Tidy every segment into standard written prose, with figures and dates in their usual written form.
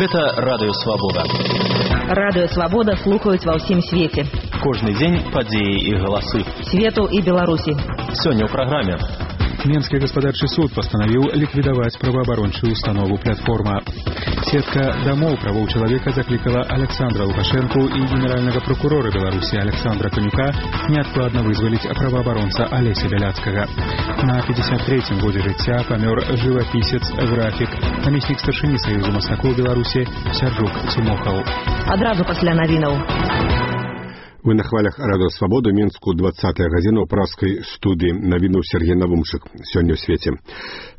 Гэта Радыё Свабода. Радыё Свабода слухаюць ва ўсім свеце. Кожны дзень падзеі і галасы. Свету і Беларусі. Сёння ў праграме. Менскі гаспадарчы суд пастанавіў ліквідаваць праваабарончую установу «Платформа». Сетка дамоў правоў чалавека заклікала Александра Лукашэнку і генеральнага прокурора Беларусі Александра Канюка неадкладна вызваліць праваабаронца Алеся Бяляцкага. На 53-м годзе жыцця памёр жывапісец, графік, намеснік старшыні Саюзу мастакоў Беларусі Сярджук Цімохаў. Адразу пасля навінаў. Мы на хвалях Радыё Свабода, Менску, 20-я гадзіна ў праскай студыі навінуў Сергей Навумчык. Сёння ў свеце.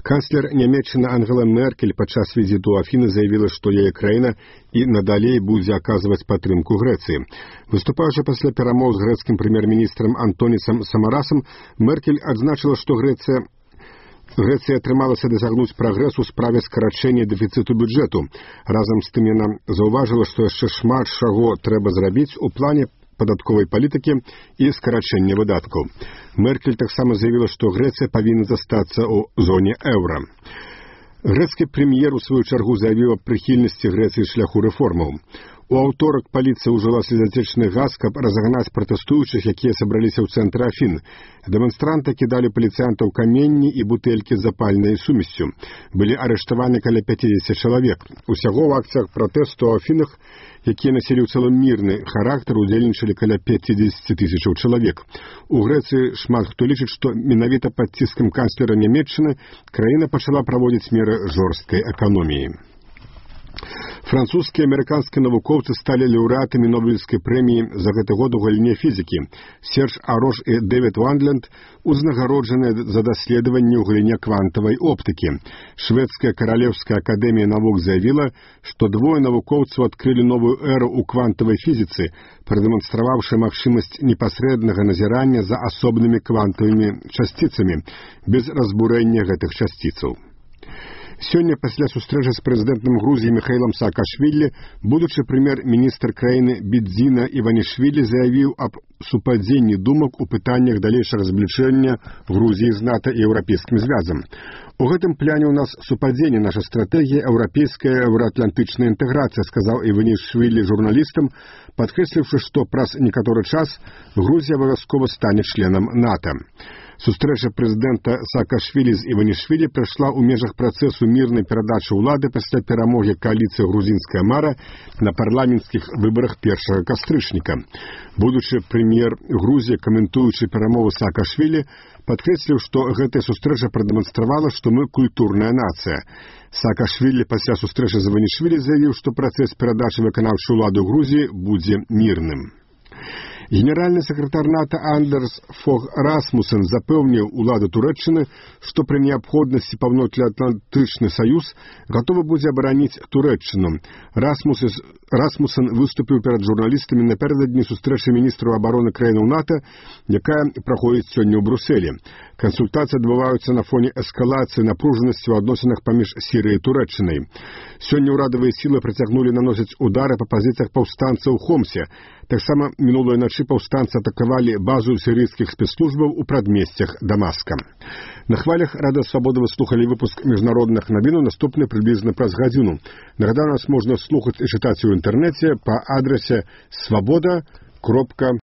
Канцлер Нямецчыны Ангела Меркель падчас візіту ў Афіны заявіла, што яе краіна і надалей будзе аказваць падтрымку Грэцыі. Выступаючы пасля перамоў з грэцкім прэм'ер-міністрам Антонісам Самарасам, Меркель адзначыла, што Грэцыя атрымалася дасягнуць прагрэсу ў справе скарачэння дэфіцыту бюджэту. Разам з тым яна заўважыла, што яшчэ шмат чаго трэба зрабіць у плане падатковай палітыкі і скарачэння выдаткаў. Меркель таксама заявіла, што Грэцыя павінна застацца ў зоне еўра. Грэцкі прэм'ер у сваю чаргу заявіў аб прыхільнасці Грэцыі шляху рэформаў. У аўторак паліцыя ўжыла слезатечны газ, каб разагнаць пратэстуючых, якія сабраліся ў цэнтры Афін. Дэманстранты кідалі паліцыянтаў каменні і бутэлькі з запальнай сумессю. Былі арыштаваны каля 50 чалавек. Усяго ў акцыях пратэсту ў Афінах, якія насілі ў цэлым мірны характар, удзельнічалі каля 50 тысячаў чалавек. У Грэцыі шмат хто лічыць, што менавіта пад ціскам канцлера Нямецчыны краіна пачала праводзіць меры жорсткай эканоміі. Французскія і амерыканскія навукоўцы сталі лаўрэатамі Нобелевскай прэміі за гэты год у галіне фізікі. Серж Арош і Дэвід Вандленд узнагароджаныя за даследаванні ў галіне квантавай оптыкі. Шведская каралеўская акадэмія навук заявіла, што двое навукоўцаў адкрылі новую эру ў квантавай фізіцы, прадэманстраваўшы магчымасць непасрэднага назірання за асобнымі квантавымі часціцамі, без разбурэння гэтых часціцаў. Сёння пасля сустрэчы з прэзідэнтам Грузіі Міхаілам Саакашвілі будучы прэм'ер-міністр краіны Бідзіна Іванішвілі заявіў аб супадзенні думак у пытаннях далейшага збліжэння Грузіі з НАТО і Еўрапейскім звязам. У гэтым пляне ў нас супадзенне, наша стратэгія еўрапейская еўраатлантычная інтэграцыя, сказаў Іванішвілі журналістам, падкрэсліўшы, што праз некаторы час Грузія абавязкова стане членам НАТО. Сустрэча прэзідэнта Саакашвілі з Іванішвілі прайшла ў межах працэсу мірнай перадачы ўлады пасля перамогі кааліцыі «Грузінская мара» на парламенцкіх выбарах 1 кастрычніка. Будучы прэм'ер Грузіі, каментуючы перамовы Саакашвілі, падкрэсліў, што гэтая сустрэча прадэманстравала, што мы культурная нацыя. Саакашвілі пасля сустрэчы з Іванішвілі заявіў, што працэс перадачы выканаўчай улады ў Грузіі будзе мірным. Генеральны сакратар НАТО Андерс Фог Расмусен запэўніў уладу Турэччыны, што пры неабходнасці Паўночнаатлантычны саюз гатовы будзе абараніць Турэччыну. Расмусен выступіў перад журналістамі напярэдадні сустрэчы міністраў абароны краінаў НАТО, якая праходзіць сёння ў Брусэлі. Кансультацыі адбываюцца на фоне эскалацыі напружанасці ў адносінах паміж Сірыяй і Турэччынай. Сёння ўрадавыя сілы працягнулі наносіць удары па пазіцыях паўстанцаў у Хомсе. Таксама мінулай начы паўстанцы атакавалі базу сірыйскіх спецслужбаў у прадмесцях Дамаска. На хвалях Радыё Свабода вы слухалі выпуск міжнародных навінаў, наступны прыблізна праз гадзіну. Нагадаю, нас можна слухаць і чытаць у інтэрнэце па адрасе swaboda.org.